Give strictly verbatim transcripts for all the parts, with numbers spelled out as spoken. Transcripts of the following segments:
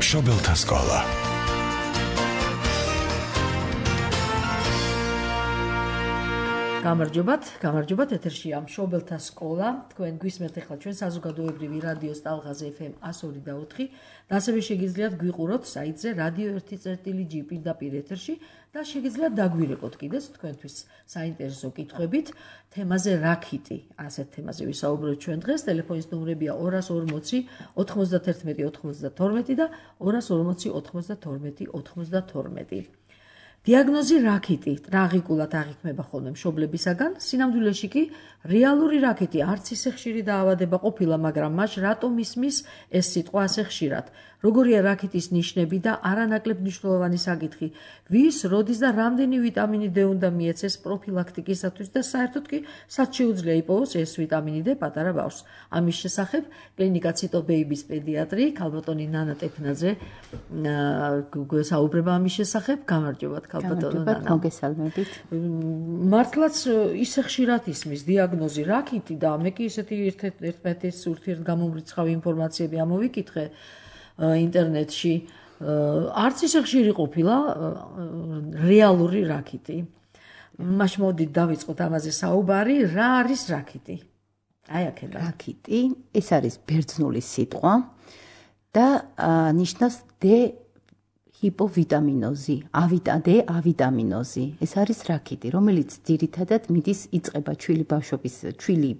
მშობელთა სკოლა. გამარჯობათ, გამარჯობათ, ეთერშია მშობელთა სკოლა. თქვენ გვისმენთ ახლა ჩვენ საზოგადოებრივი რადიოს ტალღაზე ეფ ემ εκατო ორი და ოთხი და ასევე შეგიძლიათ გვიყუროთ საიტზე რადიო ერთი წერტილი ჯი პირდაპირ ეთერში და შეგიძლიათ დაგვირეკოთ კიდეც თქვენთვის საინტერესო კითხვებით თემაზე რაქიტი. ასეთ თემაზე ვისაუბროთ ჩვენ დღეს. ტელეფონის ნომრებია ორას ორმოცი ოთხმოცდათერთმეტი ოთხმოცდათორმეტი და ორას ორმოცი ოთხმოცდათორმეტი ოთხმოცდათორმეტი. დიაგნოზი რაქიტი ტრაგიკულად აღიქმება ხოლმე მშობლებისაგან, სინამდვილეში კი რეალური რაქიტი არც ისე ხშირი დაავადება ყოფილა, მაგრამ მას რატომ ისმის ეს სიტყვა ასე ხშირად? როგორია რაქიტის ნიშნები და არანაკლებ მნიშვნელოვანი საკითხი, ვის, როდის და რამდენი ვიტამინი D უნდა მიეცეს პროფილაქტიკისათვის და საერთოდ კი სად შეუძლია იპოვოს ეს ვიტამინი D პატარა ბავშვს. ამის შესახებ კლინიკა ციტო ბეიბის პედიატრი ქალბატონი ნანა ტექნაძე საუბრება ამის შესახებ. გამარჯობათ ქალბატონო ნანა. მოგესალმებით. მართლაც ისე ხშირად ისმის დიაგნოზი რაქიტი და მე კი ისეთი ერთ-ერთის ურთიერთგამომრიცხავი ინფორმაციები ამოვიკითხე ინტერნეტში. არც ისე ხშირი ყოფილა რეალური რაქიტი. მაშინ მოდით დავიწყოთ ამაზე საუბარი. რა არის რაქიტი? აი აქედან. რაქიტი ეს არის ბერძნული სიტყვა და ნიშნავს D ჰიპოვიტამინოზი, D ავიტამინოზი. ეს არის რაქიტი, რომელიც ძირითადად მიდის იწყება ჩვილი ბავშვობის, ჩვილი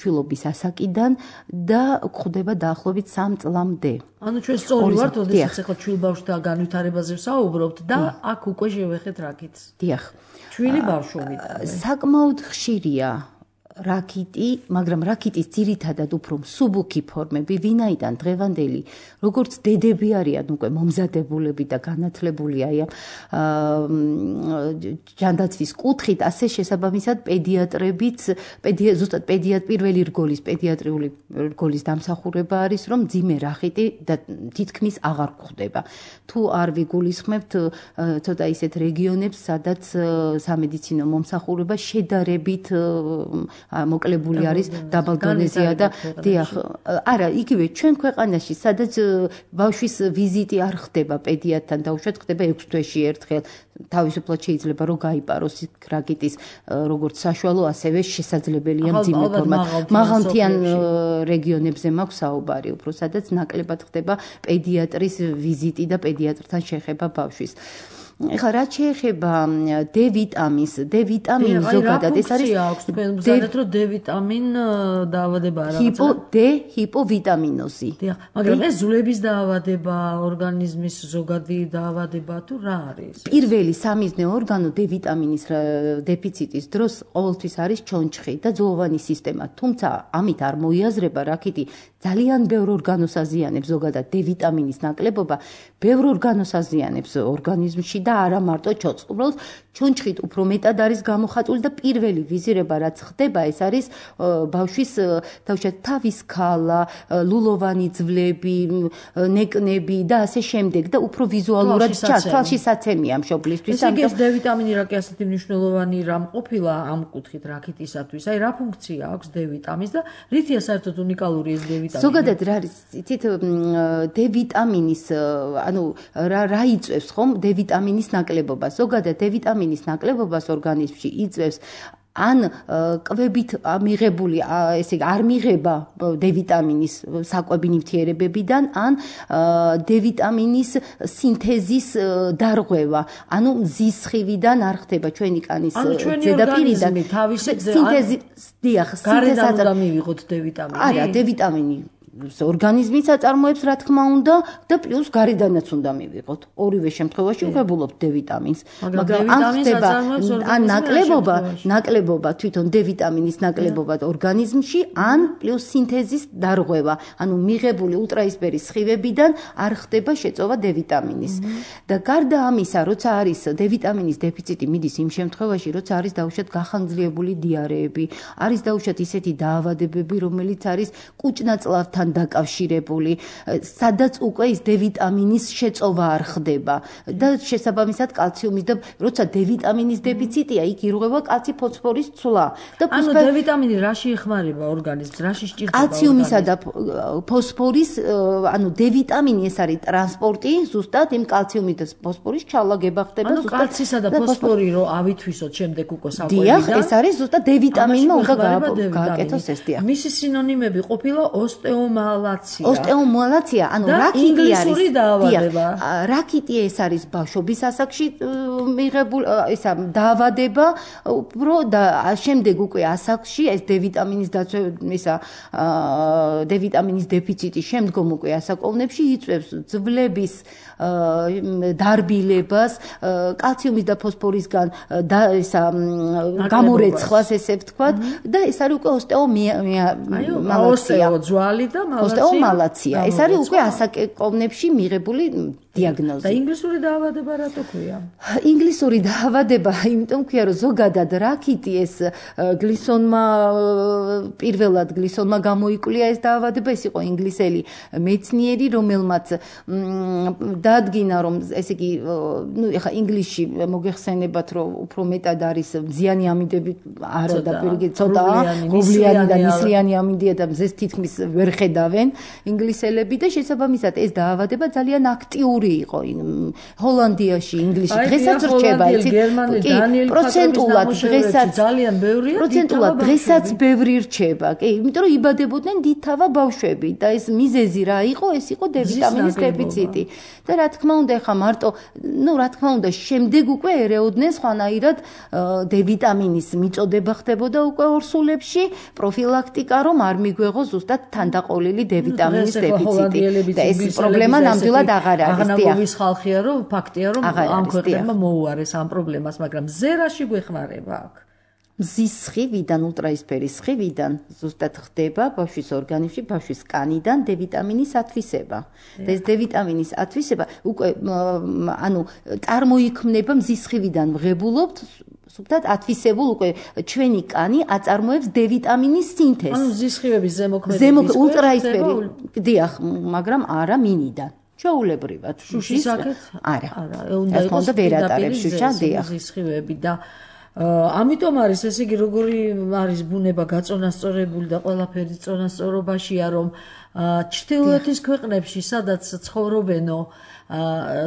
ჩვილობის ასაკიდან და გვხვდება დაახლოებით სამ წლამდე. ანუ ჩვენ სწორი ვართ, ოდესაც ახლა ჩვილ ბავშვთა განვითარებაზე ვსაუბრობთ და აქ უკვე შევეხეთ რაქიტს. დიახ. ჩვილი ბავშვობით. საკმაოდ ხშირია რაქიტი, მაგრამ რაქიტის ძირითადად უფრო მსუბუქი ფორმები, ვინაიდან დღევანდელი, როგორც დედები არიან უკვე მომზადებულები და განათლებული აი ამ ჯანდაცვის კუთხით, ასე შესაბამისად პედიატრებიც, ზუსტად პედიატრი პირველი რგოლის პედიატრიული რგოლის დამსახურება არის, რომ მძიმე რაქიტი და თითქმის აღარ გვხვდება. თუ არ ვიგულისხმებთ ცოტა ისეთ რეგიონებს, სადაც სამედიცინო მომსახურება შედარებით მოკლებული არის დაბალდონეზია და დიახ, არა, იგივე ჩვენ ქვეყანაში, სადაც ბავშვის ვიზიტი არ ხდება პედიატრთან და უშუალოდ ხდება ექვს თვეში ერთხელ, თავისუფლად შეიძლება რომ გაიპაროს რაქიტის როგორც საშუალო, ასევე შესაძლებელია მძიმე ფორმა. მაღალმთიან რეგიონებზე მაქვს საუბარი, უფრო სადაც ნაკლებად ხდება პედიატრის ვიზიტი და პედიატრთან შეხება ბავშვის. ეხლა რაც შეეხება D ვიტამინს, D ვიტამინი ზოგადად ეს არის ზოგადად რომ D ვიტამინ დაავადება რაღაცა. D ჰიპოვიტამინოზი. დიახ, მაგრამ ეს ზულების დაავადება, ორგანიზმის ზოგადი დაავადება თუ რა არის? პირველი სამიზნე ორგანო D ვიტამინის დეფიციტის დროს ყოველთვის არის ჩონჩხი და ძვლოვანი სისტემა, თუმცა ამით არ მოიაზრება რაქიტი ძალიან ბევრ ორგანოს აზიანებს, ზოგადად D ვიტამინის ნაკლებობა ბევრ ორგანოს აზიანებს ორგანიზმში და არა მარტო ჩონჩხს. უბრალოდ ჩონჩხით უფრო მეტად არის გამოხატული და პირველი ვიზირება რაც ხდება, ეს არის ბავშვის თავშეთ თავის ქალა, ლულოვანი ძვლები, ნეკნები და ასე შემდეგ და უფრო ვიზუალურად თვალში საცემია მშობლისთვის. ესე იგი ეს D ვიტამინი რა კი ასეთი მნიშვნელოვანი რამ ყოფილა ამ კუთხით რაქიტისათვის? აი რა ფუნქცია აქვს D ვიტამინს და რითია საერთოდ უნიკალური ეს D ვიტამინი? ზოგადად რა არის, იცით D ვიტამინის, ანუ რა რა იწვევს ხომ D ვიტამინის ნაკლებობა. ზოგადად D ვიტამინის ნაკლებობას ორგანიზმში იწვევს ან კვებით მიღებული, ესე იგი არ მიღება D ვიტამინის საკვები ნივთიერებებიდან, ან D ვიტამინის სინთეზის დარღვევა, ანუ მზის სხივიდან არ ხდება ჩვენი კანის ზედაპირიდან სინთეზი, დიახ, სინთეზად უნდა მივიღოთ D ვიტამინი. არა, D ვიტამინი ორგანიზმის აწარმოებს რა თქმა უნდა და პლუს გარედანაც უნდა მივიღოთ. ორივე შემთხვევაში ვღებულობთ D ვიტამინს. მაგრამ αν ხდება ან ნაკლებობა, ნაკლებობა თვითონ D ვიტამინის ნაკლებობა ორგანიზმში, ან პლუს სინთეზის დარღვევა, ანუ მიღებული ულტრაისფერის სხივებიდან არ ხდება შეწოვა D ვიტამინის. და გარდა ამისა, როცა არის D ვიტამინის დეფიციტი, მიდის იმ შემთხვევაში, როცა არის დაუშვათ გახანგრძლივებული დიარეები, არის დაუშვათ ისეთი დაავადებები, რომელიც არის კუჭნაწლავთან კალციუმთან დაკავშირებული, სადაც უკვე ის D ვიტამინის შეწოვა არ ხდება და შესაბამისად კალციუმის და როცა D ვიტამინის დეფიციტია, იქ ირღვევა კალცი ფოსფორის ცვლა. და ანუ D ვიტამინი რაში ეხმარება ორგანიზმს, რაში სჭირდება? კალციუმისა და ფოსფორის, ანუ D ვიტამინი ეს არის ტრანსპორტი, ზუსტად იმ კალციუმის და ფოსფორის ჩალაგება ხდება ზუსტად. ანუ კალცისა და ფოსფორი რო ავითვისოთ შემდეგ უკვე საკვებიდან. დიახ, ეს არის ზუსტად D ვიტამინმა უნდა გააკეთოს ეს დიახ. მისი სინონიმები ყოფილა ოსტეომალაცია. ოსტეომალაცია, ანუ რაკიტი არის. ინგლისური დაავადება. რაკიტი ეს არის ბავშვობის ასაკში მიღებული ისა დაავადება, უფრო და შემდეგ უკვე ასაკში ეს D ვიტამინის ისა D ვიტამინის დეფიციტი შემდგომ უკვე ასაკოვნებში იწვევს ძვლების დარბილებას, კალციუმის და ფოსფორისგან და ისა გამორეცხვას ესე ვთქვათ და ეს არის უკვე ოსტეომალაცია. ძვალი და მალაცია. ოსტეომალაცია. ეს არის უკვე ასაკოვნებში მიღებული დიაგნოზი. და ინგლისური დაავადება რატო ქვია? ინგლისური დაავადება, იმიტომ ქვია, რომ ზოგადად რაკიტი ეს გლისონმა პირველად გლისონმა გამოიკვლია ეს დაავადება, ეს იყო ინგლისელი მეცნიერი, რომელმაც დაადგინა, რომ ესე იგი, ნუ ეხა ინგლისში მოგეხსენებათ, რომ უფრო მეტად არის მზიანი ამინდები, არა და პირიქით ცოტაა, გოვლიანი და ნისლიანი ამინდია და მზეს თითქმის ვერ ხედავენ ინგლისელები და შესაბამისად ეს დაავადება ძალიან აქტიური იყო ჰოლანდიაში, ინგლისში. დღესაც რჩება, იცით? პროცენტულად დღესაც ძალიან ბევრია. პროცენტულად დღესაც ბევრი რჩება. კი, იმიტომ რომ იბადებოდნენ დიდთავა ბავშვები და ეს მიზეზი რა იყო? ეს იყო D ვიტამინის დეფიციტი. და რა თქმა უნდა, ეხა მარტო, ნუ რა თქმა უნდა, შემდეგ უკვე ერეოდნენ სხვანაირად D ვიტამინის მიწოდება ხდებოდა უკვე ორსულებში, პროფილაქტიკა, რომ არ მიგვეღო ზუსტად თანდაყოლილი D ვიტამინის დეფიციტი. და ეს პრობლემა ნამდვილად აღარ არის. აღნაგობის ხალხია, რომ ფაქტია, რომ ამ ქვეყნებმა მოუარეს ამ პრობლემას, მაგრამ ზერაში გვეხმარება აქ. მზის სხივიდან, ულტრაისფერის სხივიდან ზუსტად ხდება ბავშვის ორგანიზმში, ბავშვის კანიდან D ვიტამინის ათვისება. და ეს D ვიტამინის ათვისება უკვე ანუ წარმოიქმნება მზის სხივიდან ვღებულობთ, ზუსტად ათვისებულ უკვე ჩვენი კანი აწარმოებს D ვიტამინის სინთეზს. ანუ მზის სხივების ზემოქმედების ულტრაისფერი, დიახ, მაგრამ არა მინიდან. ჩაულებრივად. შუშის აქეთ? არა. არა, უნდა იყოს ვერატარებს შუშა, დიახ. მზის სხივები და ამიტომ არის ესე იგი როგორი არის ბუნება გაწონასწორებული და ყველაფერი წონასწორობაშია, რომ ჩრდილოეთის ქვეყნებში, სადაც ცხოვრობენო,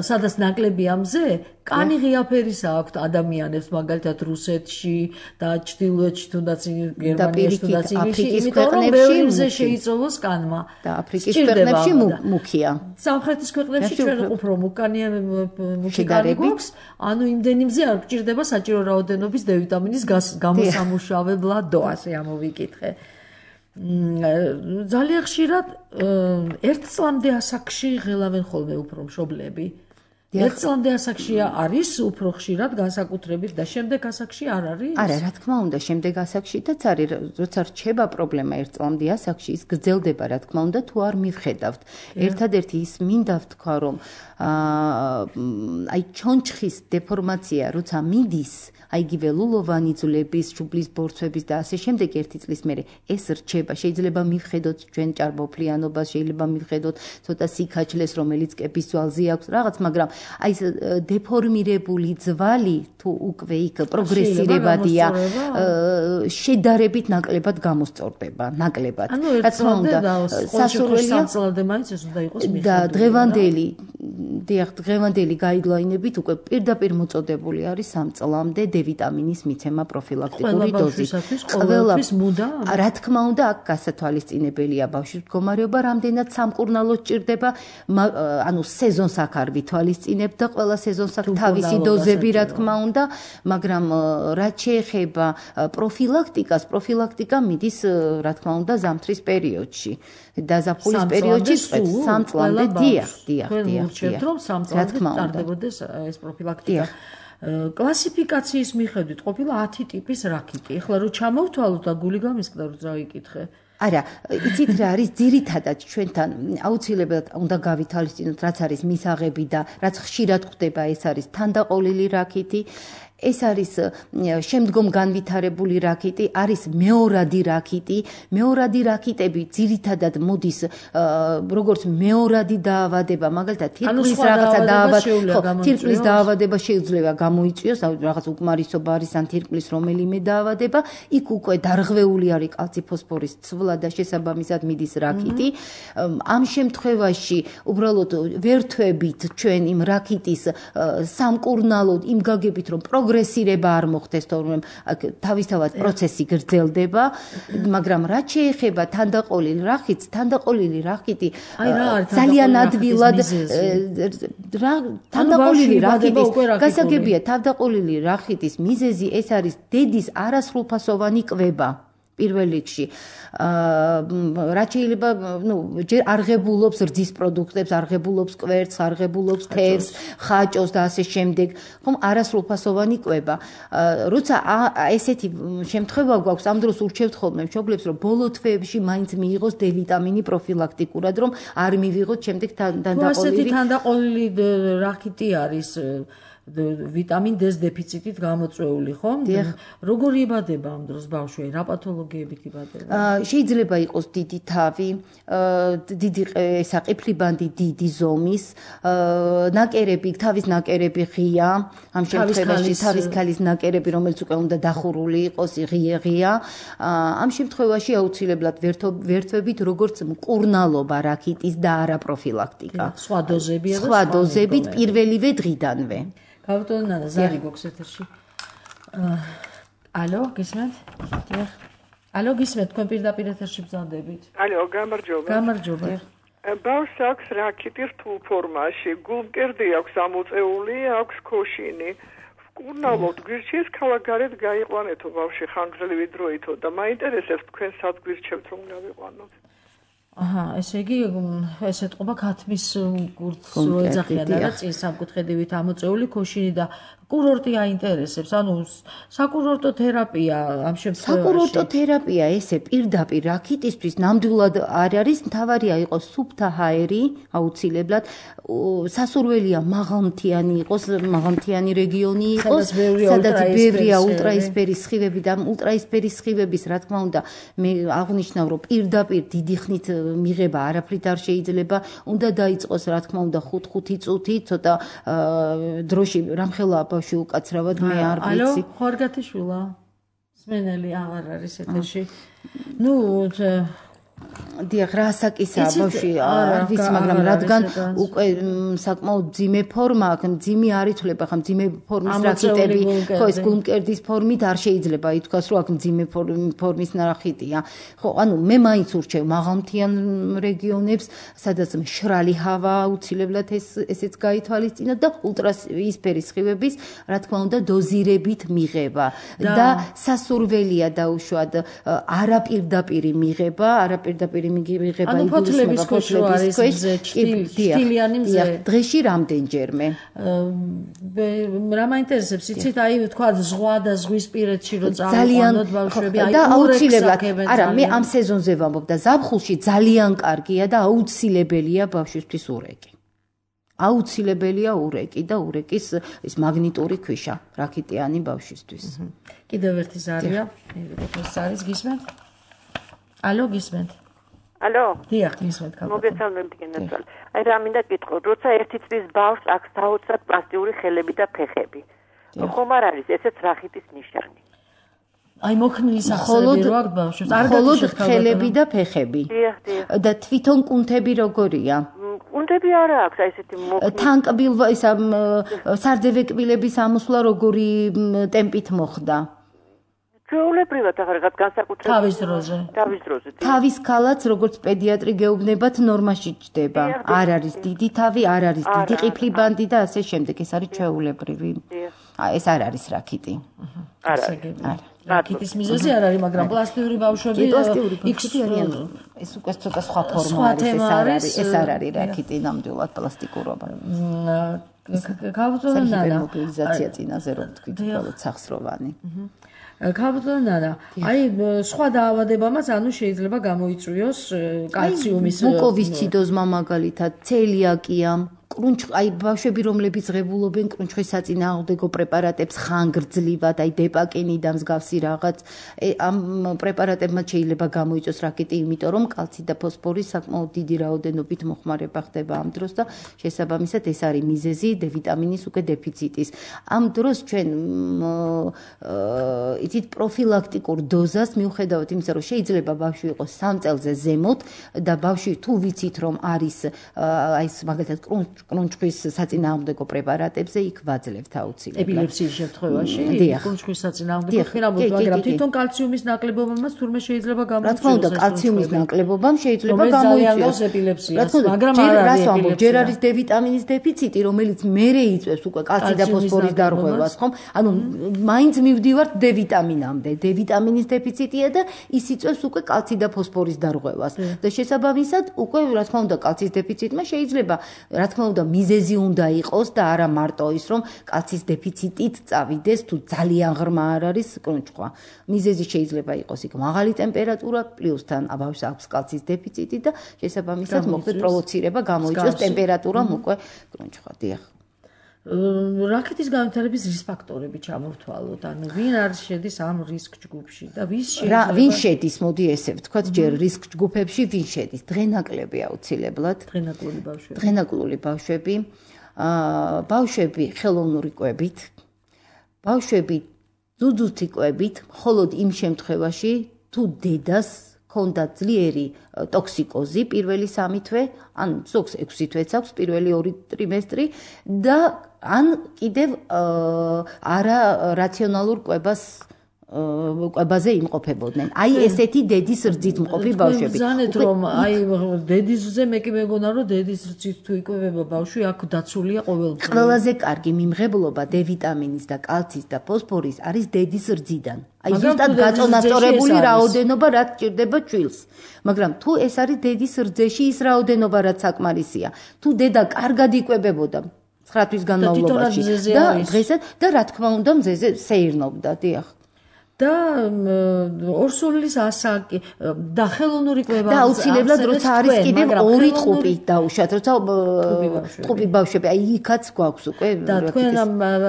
სადაც ნაკლებია მზე, კანი ღიაფერისა აქვთ ადამიანებს, მაგალითად რუსეთში და ჩრდილოეთში თუნდაც გერმანიაში თუნდაც იმაში, იმიტომ რომ ბევრი მზე შეიწოვოს კანმა. და აფრიკის ქვეყნებში მუქია. სამხრეთის ქვეყნებში ჩვენ უფრო მუკანია მუქი კანი გვაქვს, ანუ იმდენი მზე არ გჭირდება საჭირო რაოდენობის D ვიტამინის გამოსამუშავებლადო, ასე ამოვიკითხე. ძალიან ხშირად ერთ წლამდე ასაკში ღელავენ ხოლმე უფრო მშობლები. ერთ წლამდე ასაკში არის უფრო ხშირად განსაკუთრებით და შემდეგ ასაკში არ არის? არა, რა თქმა უნდა, შემდეგ ასაკშიც არის, როცა რჩება პრობლემა ერთ წლამდე ასაკში, ის გრძელდება, რა თქმა უნდა, თუ არ მივხედავთ. ერთადერთი ის მინდა ვთქვა, რომ აი ჩონჩხის დეფორმაცია, როცა მიდის, აი იგივე ლულოვანი ძვლების, შუბლის ბორცვების და ასე შემდეგ ერთი წლის მერე ეს რჩება. შეიძლება მივხედოთ ჩვენ ჭარბოფლიანობას, შეიძლება მივხედოთ ცოტა სიქაჩლეს, რომელიც კეპის ძვალზე აქვს რაღაც, მაგრამ აი ეს დეფორმირებული ძვალი თუ უკვე იქ პროგრესირებადია, შედარებით ნაკლებად გამოსწორდება, ნაკლებად. რა თქმა უნდა, სასურველია სამწლამდე მაინც ეს უნდა იყოს მიხედველი. და დღევანდელი, დიახ, დღევანდელი გაიდლაინებით უკვე პირდაპირ მოწოდებული არის სამ წლამდე D ვიტამინის მიცემა პროფილაქტიკური დოზით. ყველაფრის მუდა? რა თქმა უნდა, აქ გასათვალისწინებელია ბავშვის მდგომარეობა, რამდენად სამკურნალო სჭირდება, ანუ სეზონს აქ არ ვითვალისწინებ და ყველა სეზონს აქ თავისი დოზები, რა თქმა უნდა, მაგრამ რაც შეეხება პროფილაქტიკას, პროფილაქტიკა მიდის, რა თქმა უნდა, ზამთრის პერიოდში. დაზაფხულის პერიოდში სამ წლამდე, დიახ, დიახ, დიახ. ვუჩვენთ, რომ სამ წლამდე ტარდებოდეს ეს პროფილაქტიკა. კლასიფიკაციის მიხედვით ყოფილა ათი ტიპის რაკიტი. ეხლა რო ჩამოვთვალოთ და გული გამისკდა, რომ წავიკითხე. არა, იცით რა არის ძირითადად ჩვენთან აუცილებლად უნდა გავითვალისწინოთ, რაც არის მისაღები და რაც ხშირად ხდება, ეს არის თანდაყოლილი რაკიტი. ეს არის შემდგომ განვითარებული რაკიტი, არის მეორადი რაკიტი. მეორადი რაკიტები ძირითადად მოდის როგორც მეორადი დაავადება, მაგალითად თირკმლის რაღაცა დაავადება, თირკმლის დაავადება შეიძლება გამოიწვიოს, რაღაც უკმარისობა არის ან თირკმლის რომელიმე დაავადება, იქ უკვე დარღვეული არის კალციფოსფორის ცვლა და შესაბამისად მიდის რაკიტი. ამ შემთხვევაში უბრალოდ ვერთვებით ჩვენ იმ რაკიტის სამკურნალოდ იმ გაგებით რომ პროგრესირება არ მოხდეს, თორემ თავისთავად პროცესი გრძელდება, მაგრამ რაც შეეხება თანდაყოლილ რახიტს, თანდაყოლილი რახიტი ძალიან ადვილად თანდაყოლილი რახიტის გასაგებია, თანდაყოლილი რახიტის მიზეზი ეს არის დედის არასრულფასოვანი კვება. პირველ რიგში რაც შეიძლება ნუ ჯერ არღებულობს რძის პროდუქტებს, არღებულობს კვერცხს, არღებულობს თევზს, ხაჭოს და ასე შემდეგ, ხომ არასრულფასოვანი კვება. როცა ესეთი შემთხვევა გვაქვს, ამ დროს ურჩევთ ხოლმე მშობლებს, რომ ბოლო თვეებში მაინც მიიღოს დე ვიტამინი პროფილაქტიკურად, რომ არ მივიღოთ შემდეგ თანდაყოლილი. ასეთი თანდაყოლილი რახიტი არის ვიტამინ D-ს დეფიციტით გამოწვეული, ხო? როგორი იბადება ამ დროს ბავშვი? რა პათოლოგიებით იბადება? შეიძლება იყოს დიდი თავი, დიდი საყიფლიბანდი დიდი ზომის, ნაკერები, თავის ნაკერები ღია, ამ შემთხვევაში თავის ქალის ნაკერები, რომელიც უკვე უნდა დახურული იყოს, ღია ღია. ამ შემთხვევაში აუცილებლად ვერთვებით როგორც მკურნალობა რაკიტის და არა პროფილაქტიკა. სხვა დოზებია და სხვა დოზებით პირველივე დღიდანვე. გავუტოვოთ ნანა, ზარი გვაქვს ეთერში. ალო, გისმენთ? დიახ. ალო, გისმენთ, თქვენ პირდაპირ ეთერში ბრძანდებით. ალო, გამარჯობა. გამარჯობა. ბავშვს აქვს რაკიტი რთულ ფორმაში, გულმკერდი აქვს ამოწეული, აქვს ქოშინი. მკურნალოდ გვირჩიეს ქალაქგარეთ გაიყვანეთო ბავშვი ხანგრძლივი დროითო და მაინტერესებს თქვენ სად გვირჩევთ რომ გავიყვანოთ. აჰა, ესე იგი ეს ეთყობა ქათმის კურსს რო ეძახიან და წინ სამკუთხედივით ამოწეული ქოშინი და კურორტი აინტერესებს, ანუ საკურორტო თერაპია ამ შემთხვევაში. საკურორტო თერაპია ესე პირდაპირ რაკიტისთვის ნამდვილად არ არის, მთავარია იყოს სუფთა ჰაერი, აუცილებლად, სასურველია მაღალმთიანი იყოს, მაღალმთიანი რეგიონი იყოს, სადაც ბევრია ულტრაისფერი სხივები და ულტრაისფერი სხივების, რა თქმა უნდა, მე აღნიშნავ, რომ პირდაპირ დიდი ხნით მიღება არაფრით არ შეიძლება, უნდა დაიწყოს, რა თქმა უნდა, ხუთ-ხუთი წუთი, ცოტა დროში რამხელა ბავშვი უკაცრავად მე არ ვიცი. ალო, ხორგათიშვილა. სმენელი აღარ არის ეთერში. ნუ დიახ, რასაკისაა ბავშვი, არ ვიცი, მაგრამ რადგან უკვე საკმაოდ ძიმე ფორმა აქვს, ძიმე არ იცვლება, ხა ძიმე ფორმის რაკიტები, ხო, ეს გულმკერდის ფორმით არ შეიძლება ითქვას, რომ აქ ძიმე ფორმის რაკიტია. ხო, ანუ მე მაინც ურჩევ მაღალმთიან რეგიონებს, სადაც მშრალი ჰავა აუცილებლად ეს ესეც გაითვალისწინოთ და ულტრაისფერი სხივების, რა თქმა უნდა, დოზირებით მიღება და სასურველია დაუშვათ არაპირდაპირი მიღება, არა პირდაპირი მიღება იგულისხმება ფოთლების ქვეშ არის ჭტილიანი მზე. დღეში რამდენჯერმე? რა მაინტერესებს, იცით, აი თქვა ზღვა და ზღვისპირეთში რო წავიყვანოთ ბავშვები, აი აუცილებლად. არა, მე ამ სეზონზე ვამბობ და ზაფხულში ძალიან კარგია და აუცილებელია ბავშვისთვის ურეკი. აუცილებელია ურეკი და ურეკის ის მაგნიტური ქვიშა, რაკიტიანი ბავშვისთვის. კიდევ ერთი ზარია, ეს არის გისმენთ? ალო, გისმენთ? ალო? დიახ, გისმენთ. მოგესალმებით, გენერალ. აი რა მინდა გითხო, როცა ერთი წლის ბავშვს აქვს დაუცად პლასტიკური ხელები და ფეხები. ხომ არ არის ესეც რახიტის ნიშანი? აი მოხმლის სახსრები რო აქვს ბავშვს, არ მხოლოდ ხელები და ფეხები. დიახ, დიახ. და თვითონ კუნთები როგორია? კუნთები არ აქვს, აი ესეთი მოხმლის. თანკბილვა ისა სარძევე კბილების ამოსვლა როგორი ტემპით მოხდა? ჩვეულებრივად ახლა რაღაც განსაკუთრებული თავის დროზე. თავის დროზე. თავის ქალაც როგორც პედიატრი გეუბნებათ ნორმაში ჯდება. არ არის დიდი თავი, არ არის დიდი ყიფლიბანდი და ასე შემდეგ. ეს არის ჩვეულებრივი. ეს არ არის რაკიტი. არ არის. რაკიტის მიზეზი არ არის, მაგრამ პლასტიკური ბავშვები პლასტიკური ბავშვები არიან. ეს უკვე ცოტა სხვა ფორმა არის, ეს არ არის, ეს არ არის რაკიტი, ნამდვილად პლასტიკურობა. გავუწოდო ნანა. მობილიზაცია წინაზე რომ თქვით, უბრალოდ სახსროვანი. გავუწოდო ნანა. აი სხვა დაავადებამაც ანუ შეიძლება გამოიწვიოს კალციუმის მუკოვისციდოზმა მაგალითად, ცელიაკია, კრუნჩ აი ბავშვები რომლებიც ღებულობენ კრუნჩხის საწინააღმდეგო პრეპარატებს ხანგრძლივად, აი დეპაკინი და მსგავსი რაღაც, ამ პრეპარატებმა შეიძლება გამოიწვიოს რაკეტი, იმიტომ რომ კალცი და ფოსფორი საკმაოდ დიდი რაოდენობით მოხმარება ხდება ამ დროს და შესაბამისად ეს არის მიზეზი დე ვიტამინის უკვე დეფიციტის. ამ დროს ჩვენ იცით პროფილაქტიკურ დოზას მიუხედავად იმისა, რომ შეიძლება ბავშვი იყოს სამ წელზე ზემოთ და ბავშვი თუ ვიცით რომ არის აი მაგალითად კრუნჩხის საწინააღმდეგო პრეპარატებზე იქ ვაძლევთ აუცილებლად. ეპილეფსიის შემთხვევაში კრუნჩხის საწინააღმდეგო ხილამურთ, მაგრამ თვითონ კალციუმის ნაკლებობამაც თურმე შეიძლება გამოიწვიოს. რა თქმა უნდა, კალციუმის ნაკლებობამ შეიძლება გამოიწვიოს ეპილეფსიას, მაგრამ არ არის ეპილეფსია. ჯერ არის დე ვიტამინის დეფიციტი, რომელიც მერე იწვევს უკვე კალცი და ფოსფორის დარღვევას, ხომ? ანუ მაინც მივდივართ დე ვიტამინამდე. დე ვიტამინის დეფიციტია და ის იწვევს უკვე კალცი და ფოსფორის დარღვევას. და შესაბამისად უკვე რა თქმა უნდა კალცის დეფიციტმა შეიძლება რა თქმა უნდა მიზეზი უნდა იყოს და არა მარტო ის რომ კალცის დეფიციტით წავიდეს თუ ძალიან ღრმა არ არის კრუნჩხვა. მიზეზი შეიძლება იყოს იქ მაღალი ტემპერატურა პლუსთან ბავშვს აქვს კალცის დეფიციტი და შესაბამისად მოხდეს პროვოცირება გამოიწვიოს ტემპერატურამ უკვე კრუნჩხვა. დიახ. რაკეტის განვითარების რის ფაქტორები ჩამოვთვალოთ? ანუ ვინ არის შედის ამ რისკ ჯგუფში და ვის შეიძლება ვინ შედის, მოდი ესე ვთქვათ, ჯერ რისკ ჯგუფებში ვინ შედის? დღენაკლები აუცილებლად. დღენაკლული ბავშვები. დღენაკლული ბავშვები, აა ბავშვები ხელოვნური კვებით, ბავშვები ძუძუთი კვებით, მხოლოდ იმ შემთხვევაში, თუ დედას ქონდა ძლიერი ტოქსიკოზი პირველი სამი თვე, ან ზოგს ექვსი თვეც აქვს პირველი ორი ტრიმესტრი და ან კიდევ არა რაციონალურ კვებას კვებაზე იმყოფებოდნენ. აი ესეთი დედის რძით მყოფი ბავშვები. ზანეთ რომ აი დედისზე მე კი მეგონა რომ დედის რძით თუ იკვებება ბავშვი აქ დაცულია ყოველდღე. ყველაზე კარგი მიმღებლობა დე ვიტამინის და კალცის და ფოსფორის არის დედის რძიდან. აი ზუსტად გაწონასწორებული რაოდენობა რაც ჭირდება ჩვილს. მაგრამ თუ ეს არის დედის რძეში ის რაოდენობა რაც საკმარისია. თუ დედა კარგად იკვებებოდა ცხრა თვის განმავლობაში და დღესაც და რა თქმა უნდა მზეზე სეირნობდა, დიახ. და ორსულის ასაკი და ხელოვნური კვება და აუცილებლად როცა არის კიდევ ორი ტყუპი დაუშვათ, როცა ტყუპი ბავშვები, აი იქაც გვაქვს უკვე და თქვენ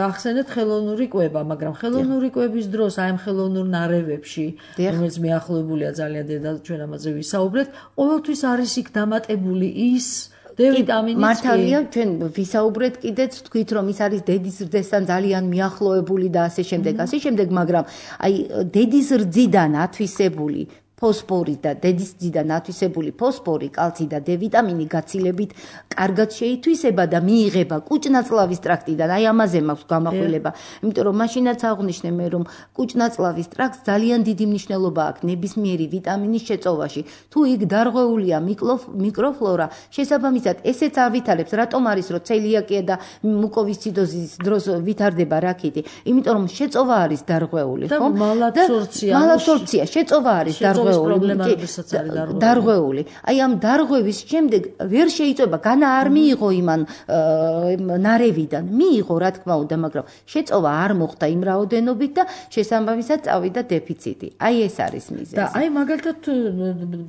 ახსენეთ ხელოვნური კვება, მაგრამ ხელოვნური კვების დროს აი ამ ხელოვნურ ნარევებში, რომელიც მიახლოებულია ძალიან დედა ჩვენ ამაზე ვისაუბრეთ, ყოველთვის არის იქ დამატებული ის დე ვიტამინის. მართალია, ჩვენ ვისაუბრეთ კიდეც თქვით რომ ის არის დედის რძესთან ძალიან მიახლოებული და ასე შემდეგ, ასე შემდეგ, მაგრამ აი დედის რძიდან ათვისებული ფოსფორი და დედის რძიდან ათვისებული ფოსფორი, კალცი და დე ვიტამინი გაცილებით კარგად შეითვისება და მიიღება კუჭნაწლავის ტრაქტიდან. აი ამაზე მაქვს გამახვილება. იმიტომ რომ მაშინაც აღვნიშნე მე რომ კუჭნაწლავის ტრაქტს ძალიან დიდი მნიშვნელობა აქვს ნებისმიერი ვიტამინის შეწოვაში. თუ იქ დარღვეულია მიკროფლორა, შესაბამისად ესეც ავითარებს, რატომ არის რომ ცელიაკია და მუკოვისციდოზის დროს ვითარდება რაკეტი? იმიტომ რომ შეწოვა არის დარღვეული, ხო? და მალაბსორბცია. მალაბსორბცია, შეწოვა არის დარღვეული. დარღვეული. აი ამ დარღვევის შემდეგ ვერ შეიწება, განა არ მიიღო იმან ნარევიდან. მიიღო რა თქმა უნდა, მაგრამ შეწოვა არ მოხდა იმ რაოდენობით და შესაბამისად წავიდა დეფიციტი. აი ეს არის მიზეზი. და აი მაგალითად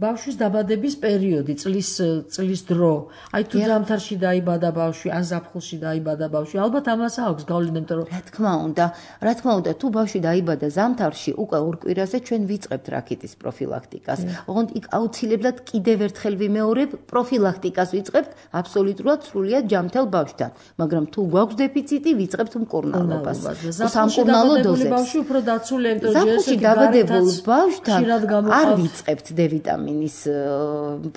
ბავშვის დაბადების პერიოდი, წლის წლის დრო. აი თუ ზამთარში დაიბადა ბავშვი, ან ზაფხულში დაიბადა ბავშვი, ალბათ ამას აქვს გავლენა, იმიტომ რომ რა თქმა უნდა, რა თქმა უნდა, თუ ბავშვი დაიბადა ზამთარში, უკვე ორ კვირაზე ჩვენ ვიწყებთ რაკეტის პროფილაქტიკას. ოღონდ იქ აუცილებლად კიდევ ერთხელ ვიმეორებ, პროფილაქტიკას ვიწყებთ აბსოლუტურად სრულიად ჯამთელ ბავშვთან, მაგრამ თუ გვაქვს დეფიციტი, ვიწყებთ მკურნალობას. სამკურნალო დოზებს. ბავშვი უფრო დაცულია, იმიტომ რომ ზაფხულში დაბადებულ ბავშვთან არ ვიწყებთ დე ვიტამინის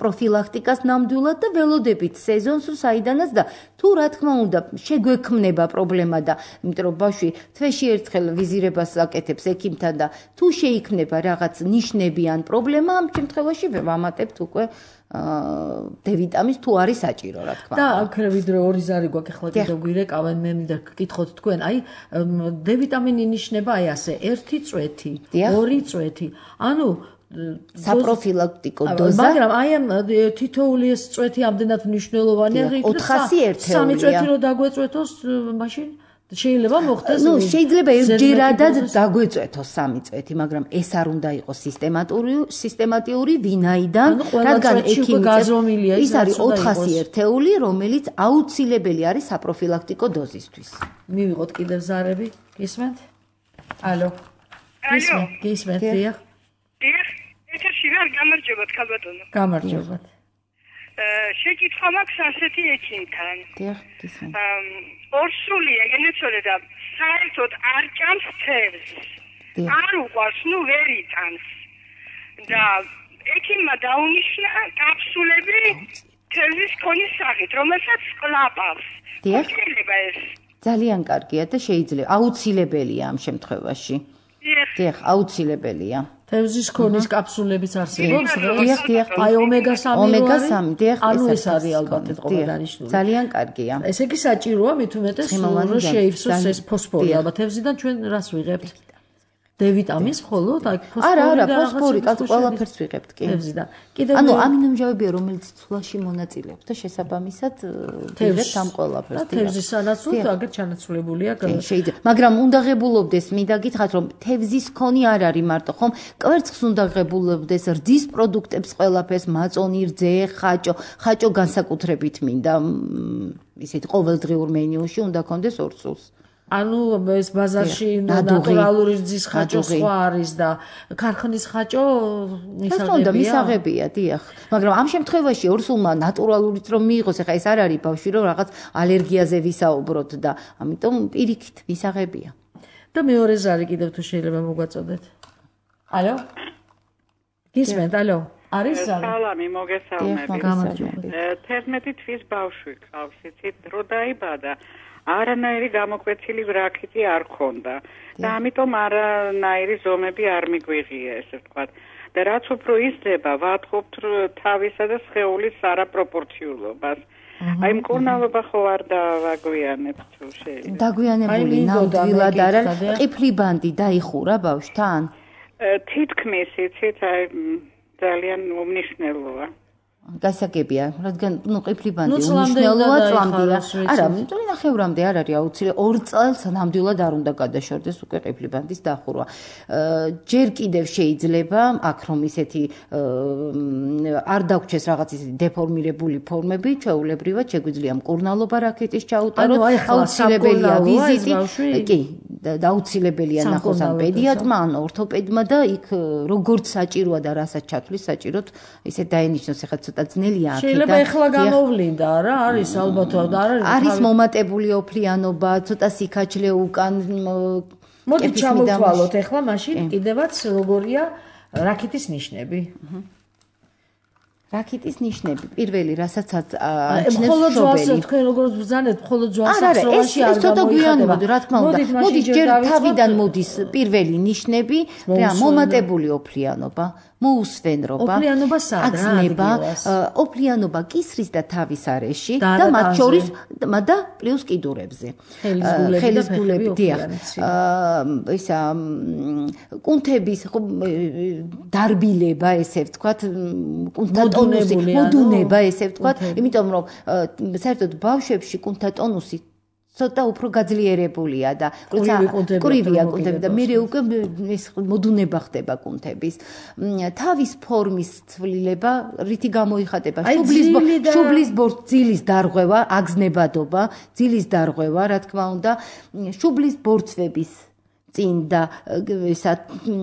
პროფილაქტიკას ნამდვილად და ველოდებით სეზონს საიდანაც და თუ რა თქმა უნდა შეგვექმნება პრობლემა და იმიტომ რომ ბავშვი თვეში ერთხელ ვიზირებას აკეთებს ექიმთან და თუ შეიქმნება რაღაც ნიშნები ან პრობლემა, ამ შემთხვევაში ვამატებთ უკვე დე ვიტამინს თუ არის საჭირო, რა თქმა უნდა. და აქ ვიდრე ორი ზარი გვაქვს, ახლა კიდევ გვირეკავენ, მე მინდა გკითხოთ თქვენ, აი დე ვიტამინი ნიშნება აი ასე, ერთი წვეთი, ორი წვეთი. ანუ საპროფილაქტიკო დოზა. მაგრამ აი ამ თითოეული ეს წვეთი ამდენად მნიშვნელოვანია, ოთხასი ერთეულია. სამი წვეთი რო დაგვეწვეთოს, მაშინ შეიძლება მოხდეს ნუ შეიძლება ერთჯერადად დაგვეწვეთოს სამი წვეთი, მაგრამ ეს არ უნდა იყოს სისტემატური, სისტემატიური, ვინაიდან, რადგან ექიმი ის არის ოთხასი ერთეული, რომელიც აუცილებელი არის საპროფილაქტიკო დოზისთვის. მივიღოთ კიდევ ზარები, გისმენთ? ალო. გისმენთ, გისმენთ, დიახ. დიახ, ეთერში ვარ, გამარჯობათ, ქალბატონო. გამარჯობათ. შეკითხვა მაქვს ასეთი ექიმთან. დიახ, გისმენთ. ორსულია გენეცოლე და საერთოდ არ ჭამს თევზს. არ უყვარს, ნუ ვერ იტანს. და ექიმმა დაუნიშნა კაფსულები თევზის ქონის სახით, რომელსაც ყლაპავს. შეიძლება ეს? ძალიან კარგია და შეიძლება აუცილებელია ამ შემთხვევაში. დიახ, აუცილებელია. თევზის ქონის კაფსულებიც არსებობს, დიახ, დიახ. აი ომეგა სამი ომეგა სამი, დიახ, ანუ ეს არის ალბათ ეთყობა დანიშნული. ძალიან კარგია. ესე იგი საჭიროა მით უმეტეს რომ შეივსოს ეს ფოსფორი, ალბათ თევზიდან ჩვენ რას ვიღებთ? D ვიტამინს მხოლოდ, აი ფოსფორი. არა, არა, ფოსფორი, ყველაფერს ვიღებთ კი. თევზიდან. კიდევ ანუ ამინომჟავებია, რომელიც ცვლაში მონაწილეობს და შესაბამისად ვიღებთ ამ ყველაფერს. და თევზის სანაცვლოდ აგერ ჩანაცვლებულია. შეიძლება, მაგრამ უნდა ღებულობდეს, მინდა გითხრათ, რომ თევზის ქონი არ არის მარტო, ხომ? კვერცხს უნდა ღებულობდეს, რძის პროდუქტებს ყველაფერს, მაწონი, რძე, ხაჭო, ხაჭო განსაკუთრებით მინდა ისეთ ყოველდღიურ მენიუში უნდა კონდეს ორ სულს. ანუ ეს ბაზარში ნატურალური რძის ხაჭო სხვა არის და ქარხნის ხაჭო მისაღებია. მისაღებია, დიახ. მაგრამ ამ შემთხვევაში ორსულმა ნატურალურიც რომ მიიღოს, ეხა ეს არ არის ბავშვი, რომ რაღაც ალერგიაზე ვისაუბროთ და ამიტომ პირიქით მისაღებია. და მეორე ზარი კიდევ თუ შეიძლება მოგვაწოდეთ. ალო? გისმენთ, ალო? არის ზარი? სალამი, მოგესალმებით. თერთმეტი თვის ბავშვი ყავს, იცით, დრო დაიბადა. არანაირი გამოკვეთილი ვრაქიტი არ ქონდა და ამიტომ არანაირი ზომები არ მიგვიღია ესე ვთქვათ და რაც უფრო იზრდება ვატყობთ თავისა და სხეულის არაპროპორციულობას აი მკურნალობა ხო არ დავაგვიანებთ თუ შეიძლება დაგვიანებული ნამდვილად არ არის ყიფლი ბანდი დაიხურა ბავშვთან თითქმის იცით აი ძალიან უმნიშვნელოა გასაგებია, რადგან ნუ ყიფლი ბანდი უმნიშვნელოა წლამდეა. არა, მეტყვი ნახევრამდე არ არის აუცილებელი. ორ წელს ნამდვილად არ უნდა გადაშორდეს უკვე ყიფლი ბანდის დახურვა. ჯერ კიდევ შეიძლება აქ რომ ისეთი არ დაგვრჩეს რაღაც ისეთი დეფორმირებული ფორმები, ჩვეულებრივად შეგვიძლია მკურნალობა რაქეტის ჩაუტაროთ, აუცილებელია ვიზიტი. კი, აუცილებელია ნახოს ან პედიატრმა, ან ორთოპედმა და იქ როგორც საჭიროა და რასაც ჩათვლის საჭიროთ, ისე დაენიშნოს ახლა ცოტა ძნელია აქ და შეიძლება ეხლა გამოვლინდა რა არის ალბათად არ არის არის მომატებული ოფლიანობა ცოტა სიქაჩლე უკან მოდი ჩამოვთვალოთ ეხლა მაშინ კიდევაც როგორია რაქიტის ნიშნები რაქიტის ნიშნები პირველი რასაც აჩნევს შობელი თქვენ როგორც ბრძანეთ მხოლოდ ძვალსახსროვანში არ გამოიხატება რა თქმა უნდა მოდის ჯერ თავიდან მოდის პირველი ნიშნები რა მომატებული ოფლიანობა მოუსვენრობა, აგზნება, ოფლიანობა კისრის და თავის არეში და მათ შორის და პლუს კიდურებზე. ხელისგულები, დიახ. ისა კუნთების დარბილება, ესე ვთქვათ, კუნთა ტონუსი, მოდუნება, ესე ვთქვათ, იმიტომ რომ საერთოდ ბავშვებში კუნთა ტონუსი ცოტა უფრო გაძლიერებულია და როცა კრივია კუნთები და მე უკვე ეს მოდუნება ხდება კუნთების თავის ფორმის ცვლილება რითი გამოიხატება შუბლის შუბლის ბორცვის დარღვევა აგზნებადობა ძილის დარღვევა რა თქმა უნდა შუბლის ბორცვების წინ და ესა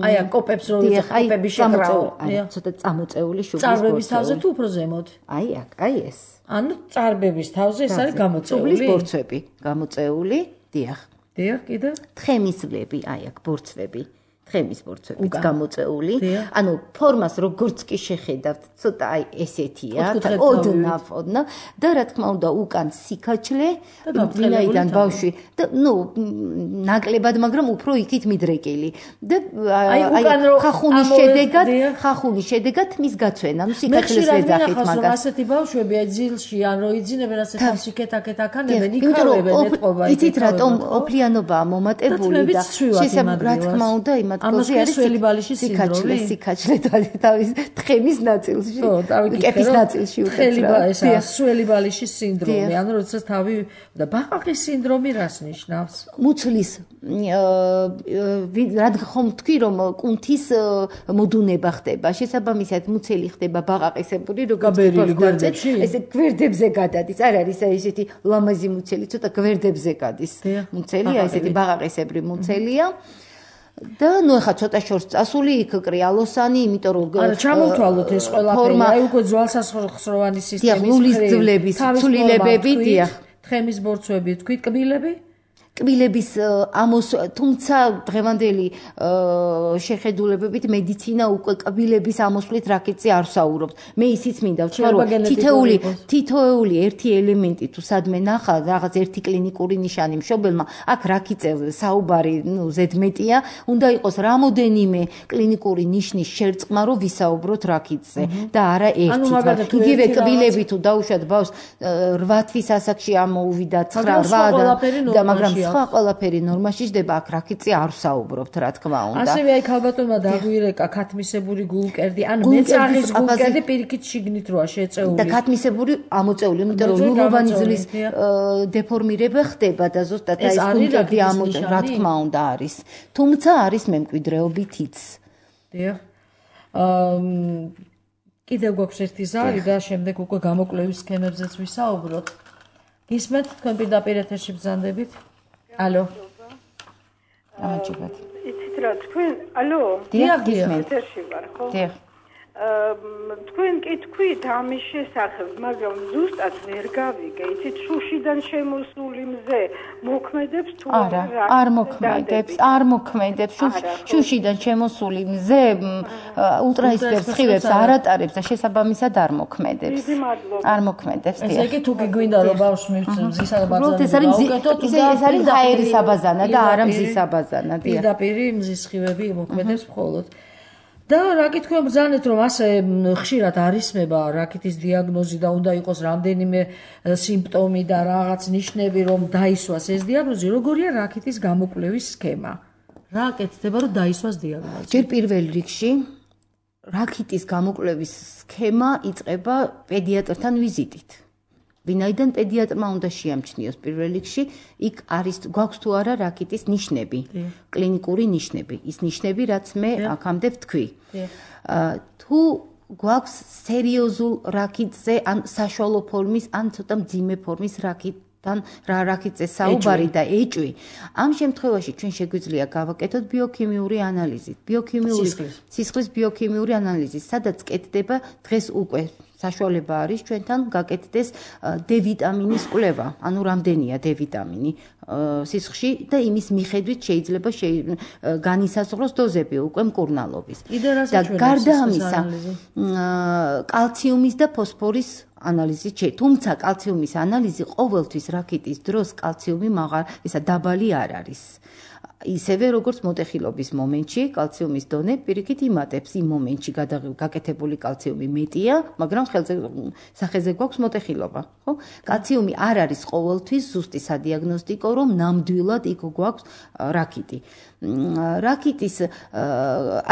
აი ამ კოპებს რო კოპები შეკრავო ცოტა წამოწეული შუბლის წარბების თავზე თუ უფრო ზემოთ აი აქ აი ეს ანუ წარბების თავზე ეს არის გამოწეული შუბლის ბორცვები გამოწეული დიახ დიახ კიდე თხემისლები აი აქ ბორცვები თხემის ბორცვებიც გამოწეული ანუ ფორმას როგორც კი შეხედავთ ცოტა აი ესეთია და ოდნავ ოდნავ და რა თქმა უნდა უკან სიქაჩლე ვინაიდან ბავშვი და ნუ ნაკლებად მაგრამ უფრო იქით მიდრეკილი და აი ხახუნის შედეგად ხახუნის შედეგად მის გაცვენა ნუ სიქაჩლეს ვეძახით მაგას ასეთი ბავშვები აი ძილში ან რო იძინებენ ასე თავს იქეთ-აქეთ აქანებენ იქავებენ ეთყობა იცით რატომ ოფლიანობაა მომატებული და შესაძლოა რა თქმა უნდა იმათ სინათლეზე არის სველი ბალიშის სინდრომი. სიკაჩლე თავის თხემის ნაწილში. კეფის ნაწილში უწევს რა. სველი ბალიშის სინდრომი, ანუ როდესაც თავი და ბაყაყის სინდრომი რას ნიშნავს? მუცლის რადგან ხომ თქვი რომ კუნთის მოდუნება ხდება, შესაბამისად მუცელი ხდება ბაყაყისებური, როგორც გვერდებში. ესე გვერდებზე გადადის, არ არის ესეთი ლამაზი მუცელი, ცოტა გვერდებზე გადის. მუცელია, ესეთი ბაყაყისებრი მუცელია. და ნუ ეხა ცოტა შორს წასული იქ კრიალოსანი, იმიტომ რომ არა ჩამოვთვალოთ ეს ყველაფერი, აი უკვე ძვალსახსროვანი სისტემის ნულის ძვლების ცვლილებები, დიახ. თხემის ბორცვები, თქვით კბილები? კბილების ამოს, თუმცა დღევანდელი შეხედულებებით მედიცინა უკვე კბილების ამოსვლით რაკეტზე არ საუბრობს. მე ისიც მინდა ვთქვა, რომ თითოეული თითოეული ერთი ელემენტი თუ სადმე ნახა რაღაც ერთი კლინიკური ნიშანი მშობელმა, აქ რაკეტზე საუბარი, ნუ ზედმეტია, უნდა იყოს რამოდენიმე კლინიკური ნიშნის შერწყმა, რომ ვისაუბროთ რაკეტზე და არა ერთი. იგივე კბილები თუ დაუშვათ ბავშვს რვა თვის ასაკში ამოუვიდა ცხრა რვა და მაგრამ სხვა ყველაფერი ნორმაში ჯდება, აქ რაკეტზე არ საუბრობთ, რა თქმა უნდა. ასევე აი ქალბატონმა დაგვირეკა ქათმისებური გულკერდი, ანუ მეწაღის გულკერდი პირიქით შიგნით როა შეწეული. და ქათმისებური ამოწეული, იმიტომ რომ ლულოვანი ძვლის დეფორმირება ხდება და ზუსტად აი ეს გულკერდი ამოწეული, რა თქმა უნდა არის. თუმცა არის მემკვიდრეობითიც. დიახ. აა კიდევ გვაქვს ერთი ზარი და შემდეგ უკვე გამოკვლევის სქემებზეც ვისაუბროთ. გისმენთ თქვენ პირდაპირ ეთერში ბრძანდებით? Алло. ამაჩებად. იცით რა, თქვენ, алло. დიახ, გისმენთ. ეთერში ვარ, ხო? დიახ. თქვენ კი თქვით ამის შესახებ, მაგრამ ზუსტად ვერ გავიგე, იცით, შუშიდან შემოსული მზე მოქმედებს თუ არა? არ მოქმედებს, არ მოქმედებს. შუშიდან შემოსული მზე ულტრაისფერ სხივებს არ ატარებს და შესაბამისად არ მოქმედებს. არ მოქმედებს. ესე იგი თუ გიგვინდა რომ ბავშვს მივცემ მზისა და ბაზანები გაუკეთოთ, ეს არის ჰაერის აბაზანა და არა მზის აბაზანა. პირდაპირ მზის სხივები მოქმედებს მხოლოდ. და რა კითხვა ბრძანეთ რომ ასე ხშირად არისმება რაკეტის დიაგნოზი და უნდა იყოს რამდენიმე სიმპტომი და რაღაც ნიშნები რომ დაისვას ეს დიაგნოზი, როგორია რაკეტის გამოკვლევის სქემა? რა აკეთდება რომ დაისვას დიაგნოზი? ჯერ პირველ რიგში რაკეტის გამოკვლევის სქემა იწყება პედიატრთან ვიზიტით. ვინაიდან პედიატრმა უნდა შეამჩნიოს პირველ რიგში, იქ არის გვაქვს თუ არა რაკეტის ნიშნები, კლინიკური ნიშნები, ის ნიშნები, რაც მე აქამდე ვთქვი. თუ გვაქვს სერიოზულ რაკეტზე, ან საშუალო ფორმის, ან ცოტა მძიმე ფორმის რაკეტთან, რა რაკეტზე საუბარი და ეჭვი, ამ შემთხვევაში ჩვენ შეგვიძლია გავაკეთოთ ბიოქიმიური ანალიზი, ბიოქიმიური სისხლის ბიოქიმიური ანალიზი, სადაც კეთდება დღეს უკვე საშუალება არის ჩვენთან გაკეთდეს D ვიტამინის კვლევა, ანუ რამდენია D ვიტამინი სისხლში და იმის მიხედვით შეიძლება განისაზღვროს დოზები უკვე მკურნალობის. და გარდა ამისა, კალციუმის და ფოსფორის ანალიზი, თუმცა კალციუმის ანალიზი ყოველთვის რაკეტის დროს კალციუმი მაღალ, ისა დაბალი არ არის. ისევე როგორც მოტეხილობის მომენტში კალციუმის დონე პირიქით იმატებს იმ მომენტში გაკეთებული კალციუმი მეტია, მაგრამ ხელზე სახეზე გვაქვს მოტეხილობა, ხო? კალციუმი არ არის ყოველთვის ზუსტი სადიაგნოსტიკო, რომ ნამდვილად იქ გვაქვს რაკეტი. რაკეტის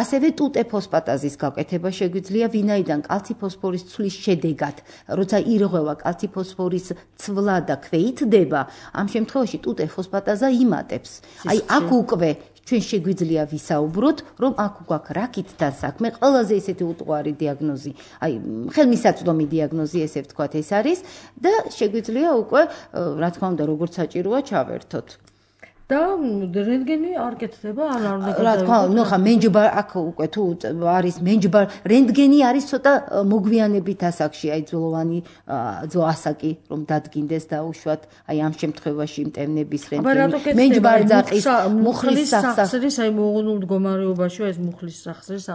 ასევე ტუტე ფოსფატაზის გაკეთება შეგვიძლია, ვინაიდან კალციფოსფორის ცვლის შედეგად, როცა ირღვევა კალციფოსფორის ცვლა და ქვეითდება, ამ შემთხვევაში ტუტე ფოსფატაზა იმატებს. აი აქ უკვე ჩვენ შეგვიძლია ვისაუბროთ, რომ აქ გვაქვს რაკეტთან საქმე, ყველაზე ისეთი უტყუარი დიაგნოზი, აი ხელმისაწვდომი დიაგნოზი, ესე ვთქვათ, ეს არის და შეგვიძლია უკვე, რა თქმა უნდა, როგორც საჭიროა ჩავერთოთ. და რენტგენი არ კეთდება, არ არ უნდა. რა თქმა უნდა, ნუ ხა მენჯბარ აქ უკვე თუ არის მენჯბარ, რენტგენი არის ცოტა მოგვიანებით ასაკში, აი ძვლოვანი ძო ასაკი რომ დადგინდეს და უშვათ, აი ამ შემთხვევაში მტევნების რენტგენი. მენჯბარ ძაყის მუხლის სახსრის, აი მოღუნულ მდგომარეობაში ეს მუხლის სახსრის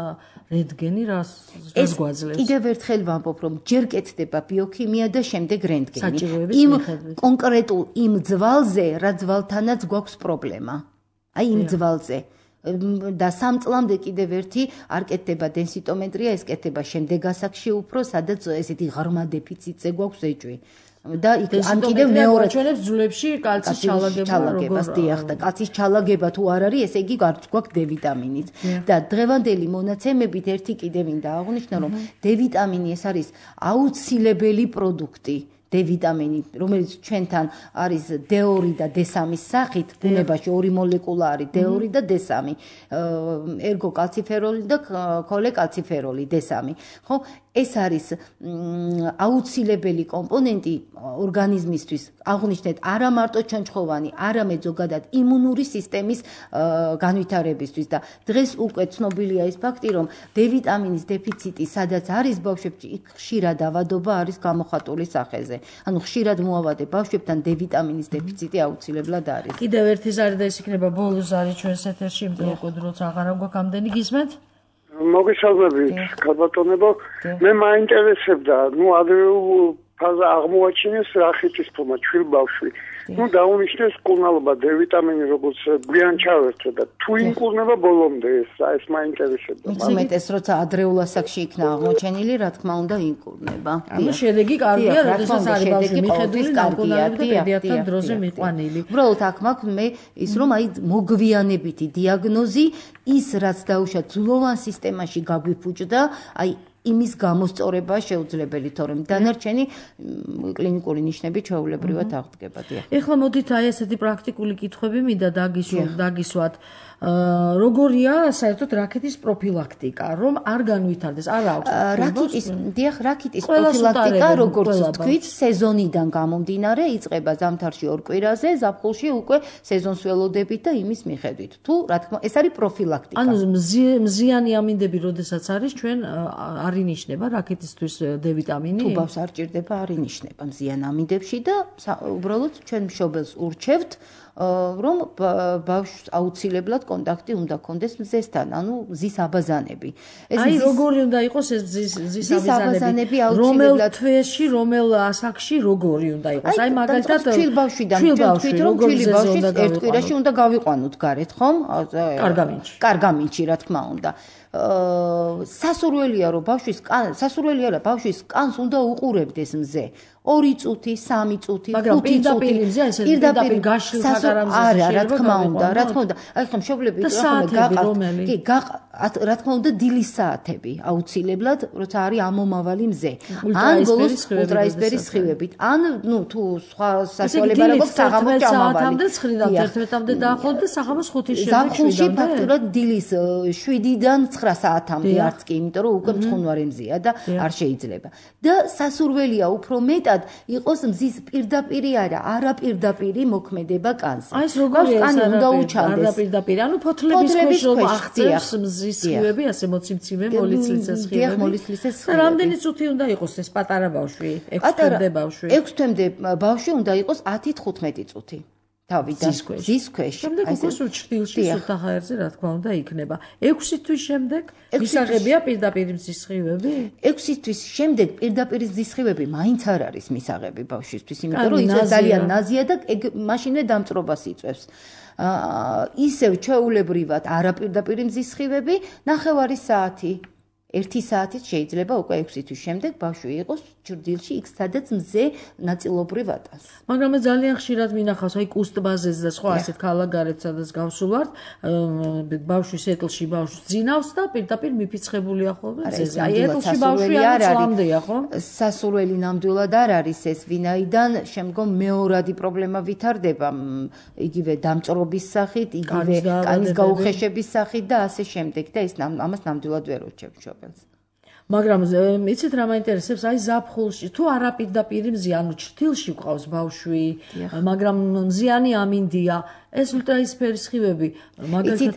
რენტგენი რას გვაძლევს? კიდევ ერთხელ ვამბობ, რომ ჯერ კეთდება ბიოქიმია და შემდეგ რენტგენი. იმ კონკრეტულ იმ ძვალზე, რა ძვალთანაც გვაქვს პრობლემა. აი იმ ძვალზე. და სამ წლამდე კიდევ ერთი არ კეთდება დენსიტომეტრია, ეს კეთდება შემდეგ ასაკში უფრო, სადაც ესეთი ღრმა დეფიციტზე გვაქვს ეჭვი. და ან კიდევ მეორე ჩვენებს ძვლებში კალცის ჩალაგებას დიახ და კალცის ჩალაგება თუ არ არის, ესე იგი გარც გვაქვს D ვიტამინიც. და დღევანდელი მონაცემებით ერთი კიდე მინდა აღვნიშნო, რომ D ვიტამინი ეს არის აუცილებელი პროდუქტი. D ვიტამინი, რომელიც ჩვენთან არის D ორი და D სამის სახით, ბუნებაში ორი მოლეკულა არის D ორი და D სამი, ერგოკალციფეროლი და ქოლეკალციფეროლი D სამი. ხო, ეს არის აუცილებელი კომპონენტი ორგანიზმისთვის, აღვნიშნეთ, არა მარტო ჩონჩხოვანი, არამედ ზოგადად იმუნური სისტემის განვითარებისთვის და დღეს უკვე ცნობილია ის ფაქტი, რომ D ვიტამინის დეფიციტი, სადაც არის ბავშვებში, იქ ხშირად ავადობა არის გამოხატული სახეზე. ანუ ხშირად მოავადე ბავშვებთან D ვიტამინის დეფიციტი აუცილებლად არის. კიდევ ერთი ზარი და ეს იქნება ბოლოს ზარი ჩვენს ეთერში, იმიტომ რომ კოდროც აღარ გვაქვს ამდენი გისმენთ? მოგესალმებით, ქალბატონებო. მე მაინტერესებდა, ნუ ადრეულ ფაზა აღმოაჩინეს რახეთის ფორმა ჩვილ ბავშვი. ნუ დაუნიშნეს მკურნალობა D ვიტამინი როგორც გვიან ჩავერთო და თუ იმკურნება ბოლომდე ეს ეს მაინტერესებდა. უმეტეს როცა ადრეულ ასაკში იქნა აღმოჩენილი, რა თქმა უნდა იმკურნება. ანუ შედეგი კარგია, როდესაც არის ბავშვი მიხედვილი დამკურნალობით და პედიატრთან დროზე მიყვანილი. უბრალოდ აქ მაქვს მე ის რომ აი მოგვიანებითი დიაგნოზი ის რაც დაუშვა ძვლოვან სისტემაში გაგვიფუჭდა, აი იმის გამოსწორება შეუძლებელი, თორემ დანარჩენი კლინიკური ნიშნები ჩვეულებრივად აღდგება. ეხლა მოდით აი ესეთი პრაქტიკული კითხვები მინდა დაგისვათ. როგორია საერთოდ რაკეტის პროფილაქტიკა, რომ არ განვითარდეს, არ აქვს. რაკეტის, დიახ, რაკეტის პროფილაქტიკა, როგორც თქვით, სეზონიდან გამომდინარე, იწყება ზამთარში ორ კვირაზე, ზაფხულში უკვე სეზონს ველოდებით და იმის მიხედვით. თუ რა თქმა, ეს არის პროფილაქტიკა. ანუ მზიანი ამინდები, როდესაც არის, ჩვენ არ ინიშნება რაკეტისთვის D ვიტამინი? თუ ბავშვს არ ჭირდება, არ ინიშნება მზიან ამინდებში და უბრალოდ ჩვენ მშობელს ურჩევთ რომ ბავშვს აუცილებლად კონტაქტი უნდა კონდეს მზესთან, ანუ მზის აბაზანები. აი როგორი უნდა იყოს ეს მზის აბაზანები? რომელ თვეში, რომელ ასაკში როგორი უნდა იყოს? აი მაგალითად ჩვილ ბავშვიდან თქვით რომ ჩვილი ბავშვის ერთ კვირაში უნდა გავიყვანოთ გარეთ, ხომ? კარგამინჩი. კარგამინჩი, რა თქმა უნდა. სასურველია რომ ბავშვის სასურველია რა ბავშვის კანს უნდა უყურებდეს მზე. ორი წუთი, სამი წუთი, ხუთი წუთი. პირდაპირ გაშლილ საგარამზე არა, რა თქმა უნდა, რა თქმა უნდა. აი ხომ მშობლები გაყავთ. კი, რა თქმა უნდა დილის საათები აუცილებლად, როცა არის ამომავალი მზე. ან ბოლოს ულტრაისფერის სხივებით. ან ნუ თუ სხვა სასწავლება რა გვაქვს საღამოს ჭამავალი. საათამდე ცხრიდან თერთმეტამდე დაახლოებით და საღამოს ხუთის შემდეგ ზაფხულში ფაქტურად დილის შვიდიდან ცხრა საათამდე არც კი, იმიტომ რომ უკვე მწყუნვარი მზეა და არ შეიძლება. და სასურველია უფრო მეტად იყოს მზის პირდაპირი არა, არაპირდაპირი მოქმედება კანზე. აი ეს როგორია ეს არაპირდაპირი? არაპირდაპირი, ანუ ფოთლების ქვეშ რომ აღწევს მზის სხივები, ასე მოციმციმე, მოლიცლიცე სხივები. დიახ, მოლიცლიცე სხივები. რამდენი წუთი უნდა იყოს ეს პატარა ბავშვი? ექვს თვემდე ბავშვი. ექვს თვემდე ბავშვი უნდა იყოს ათი თხუთმეტი წუთი. თავიდან ზის ქვეშ. შემდეგ უკვე სუჩtildeში სუთა ჰაერზე რა თქმა უნდა იქნება. ექვსი თვის შემდეგ მისაღებია პირდაპირ მზის სხივები? ექვსი თვის შემდეგ პირდაპირ მზის სხივები მაინც არ არის მისაღები ბავშვისთვის, იმიტომ რომ ის ძალიან ნაზია და მაშინვე დამწრობას იწვევს. ისევ ჩვეულებრივად არაპირდაპირ მზის სხივები, ნახევარი საათი. ერთი საათით შეიძლება უკვე ექვსი თვის შემდეგ ბავშვი იყოს ჭრდილში, იქ სადაც მზე ნაწილობრივ ატანს. მაგრამ მე ძალიან ხშირად მინახავს, აი კუსტბაზეზე და სხვა ასეთ ქალაქგარეთ, სადაც გავსულვართ, ბავშვის ეტლში ბავშვს ძინავს და პირდაპირ მიფიცხებულია ხოლმე მზეზე. აი ეტლში ბავშვი არ წლამდეა, ხო? სასურველი ნამდვილად არ არის ეს, ვინაიდან შემდგომ მეორადი პრობლემა ვითარდება, იგივე დამწრობის სახით, იგივე კანის გაუხეშების სახით და ასე შემდეგ და ეს ამას ნამდვილად ვერ ვუჩვენთ შობ. მაგრამ იცით რა მაინტერესებს, აი ზაფხულში თუ არაპირდაპირი მზე, ანუ ჩრდილში ყავს ბავშვი, მაგრამ მზიანი ამინდია, ეს ულტრაისფერის სხივები, მაგალითად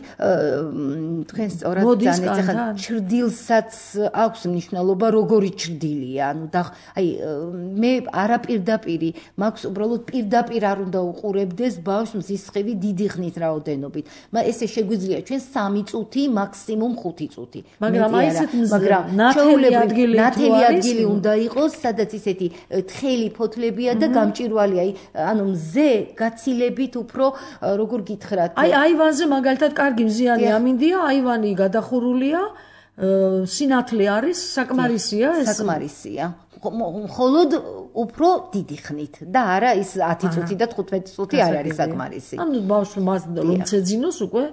თქვენ სწორად ძანეთ, ახლა ჩრდილსაც აქვს მნიშვნელობა, როგორი ჩრდილია, ანუ და აი მე არაპირდაპირი, მაქვს უბრალოდ პირდაპირ არ უნდა უყურებდეს ბავშვს მზის სხივი დიდი ხნის რაოდენობით. ესე შეგვიძლია ჩვენ სამი წუთი, მაქსიმუმ ხუთი წუთი. მაგრამ აი ესეთ მზე, ნათელი ადგილი უნდა იყოს, სადაც ისეთი თხელი ფოთლებია და გამჭვირვალე, აი ანუ მზე გაცილებით უფრო როგორ გითხრათ? აი აივანზე მაგალითად კარგი მზიანი ამინდია, აივანი გადახურულია, სინათლე არის, საკმარისია ეს? საკმარისია. მხოლოდ უფრო დიდი ხნით და არა ის ათი წუთი და თხუთმეტი წუთი არ არის საკმარისი. ანუ ბავშვი მას რომ ცეძინოს უკვე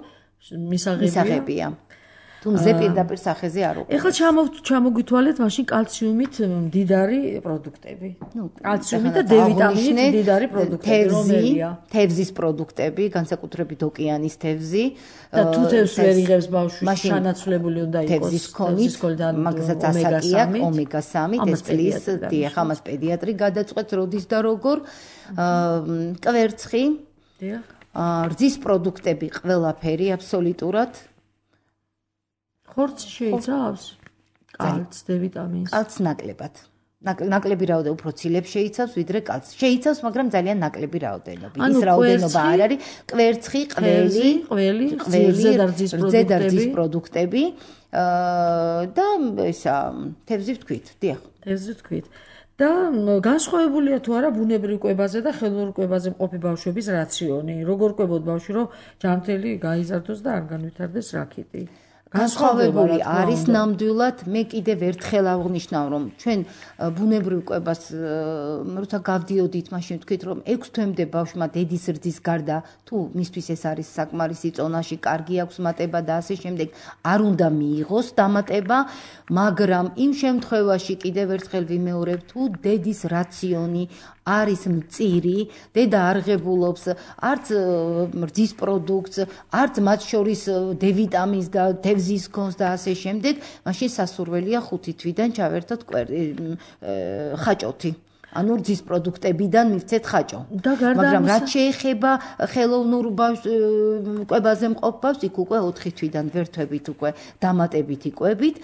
მისაღებია. თუმზე პირდაპირ სახეზე არ უკვე. ეხლა ჩამოგვითვალეთ მაშინ კალციუმით მდიდარი პროდუქტები. ნუ კალციუმით და D ვიტამინით მდიდარი პროდუქტები რომელია? თევზის პროდუქტები, განსაკუთრებით ოკეანის თევზი. და თუ თევზს ვერ იღებს ბავშვი, შანაცვლებული უნდა იყოს თევზის ქონით, მაგასაც ასაკია ომეგა სამი, ეს წლის დიახ, ამას პედიატრი გადაწყვეტს როდის და როგორ. კვერცხი. დიახ. რძის პროდუქტები ყველაფერი აბსოლუტურად. ხორცი შეიცავს კალცს, D ვიტამინს. კალცს ნაკლებად. ნაკლები რაოდენობა უფრო ცილებს შეიცავს, ვიდრე კალცს. შეიცავს, მაგრამ ძალიან ნაკლები რაოდენობა. ის რაოდენობა არ არის. კვერცხი, ყველი, ყველი, ზედარძის პროდუქტები და ისა თევზი ვთქვით, დიახ. თევზი ვთქვით. და განსხვავებულია თუ არა ბუნებრივ კვებაზე და ხელოვნურ კვებაზე მყოფი ბავშვების რაციონი. როგორ კვებოთ ბავშვი, რომ ჯანმრთელი გაიზარდოს და არ განვითარდეს რაქიტი. განსხვავებული არის ნამდვილად. მე კიდევ ერთხელ აღვნიშნავ, რომ ჩვენ ბუნებრივ კვებას როცა გავდიოდით, მაშინ ვთქვით, რომ ექვს თვემდე ბავშვმა დედის რძის გარდა თუ მისთვის ეს არის საკმარისი წონაში, კარგი აქვს მატება და ასე შემდეგ, არ უნდა მიიღოს დამატება, მაგრამ იმ შემთხვევაში კიდევ ერთხელ ვიმეორებ, თუ დედის რაციონი არის მწირი, დედა არ ღებულობს არც რძის პროდუქტს, არც მათ შორის D ვიტამინს და თევზის ქონს და ასე შემდეგ, მაშინ სასურველია ხუთი თვიდან ჩავერთოთ ხაჭოთი. ანუ რძის პროდუქტებიდან მივცეთ ხაჭო. მაგრამ რაც შეეხება ხელოვნურ კვებაზე მყოფ ბავშვს, იქ უკვე ოთხი თვიდან ვერთვებით უკვე დამატებითი კვებით,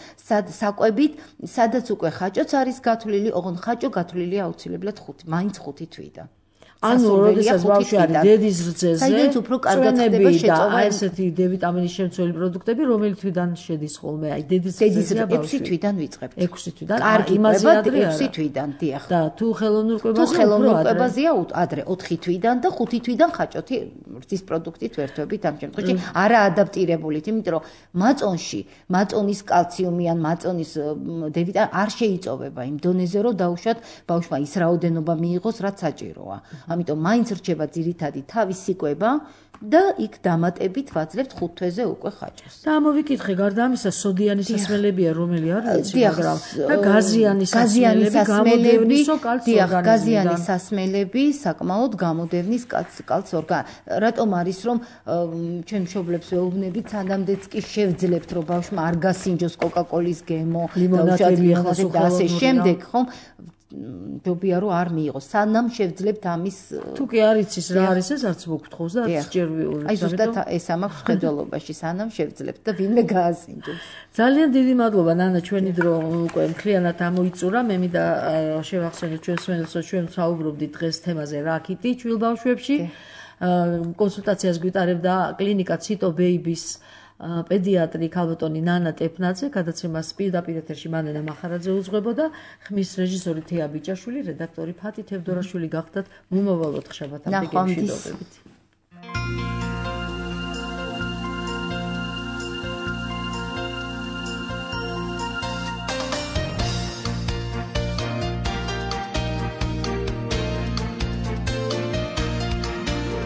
საკვებით, სადაც უკვე ხაჭოც არის გათვლილი, ოღონდ ხაჭო გათვლილია აუცილებლად ხუთი, მაინც ხუთი თვიდან. ანუ როდესაც ბავშვი არის დედის რძეზე, საიდანაც უფრო კარგად ხდება შეწოვა ესეთი D ვიტამინის შემცველი პროდუქტები, რომელი თვიდან შედის ხოლმე? აი დედის რძეზე ექვსი თვიდან ვიწყებთ. ექვსი თვიდან. კარგი კვება ექვსი თვიდან, დიახ. და თუ ხელოვნურ კვებაზე, თუ ხელოვნურ კვებაზეა ადრე ოთხი თვიდან და ხუთი თვიდან ხაჭოთი რძის პროდუქტით ვერთვებით ამ შემთხვევაში. არა ადაპტირებულით, იმიტომ რომ მაწონში, მაწონის კალციუმი ან მაწონის D ვიტამინი არ შეიწოვება იმ დონეზე, რომ დაუშვათ ბავშვმა ის რაოდენობა მიიღოს, რაც საჭიროა. ამიტომ მაინც რჩება ძირითადი თავისი კვება და იქ დამატებით ვაძლევთ ხუთ თვეზე უკვე ხაჭოს. და ამოვიკითხე, გარდა ამისა, სოდიანი სასმელებია, რომელი არის, მაგრამ და გაზიანი სასმელები, დიახ, გაზიანი სასმელები საკმაოდ გამოდევნის კალცს ორგანიზმს. რატომ არის, რომ ჩვენ მშობლებს ვეუბნებით, სანამდეც კი შევძლებთ, რომ ბავშვმა არ გასინჯოს კოკა-კოლის გემო, ლიმონადები და ასე შემდეგ, ხომ? ჯობია რომ არ მიიღოს. სანამ შევძლებთ ამის თუ კი არ იცის რა არის ეს, არც მოგთხოვს და არც ჯერ ვიუღებ. აი ზუსტად ეს ამაქვს ხედველობაში, სანამ შევძლებთ და ვინმე გაასინჯოს. ძალიან დიდი მადლობა ნანა, ჩვენი დრო უკვე მთლიანად ამოიწურა. მე მინდა შევახსენოთ ჩვენს მსმენელს, რომ ჩვენ საუბრობდით დღეს თემაზე რაქიტი ჩვილ ბავშვებში. კონსულტაციას გვიტარებდა კლინიკა ციტო ბეიბის პედიატრი ქალბატონი ნანა ტეფნაძე, გადაცემას პირდაპირ ეთერში მანენა მახარაძე უძღვებოდა, ხმის რეჟისორი თეა ბიჭაშვილი, რედაქტორი ფათი თევდორაშვილი გახდათ. მომავალ ოთხშაბათამდე გემშვიდობებით.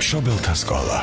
მშობელთა სკოლა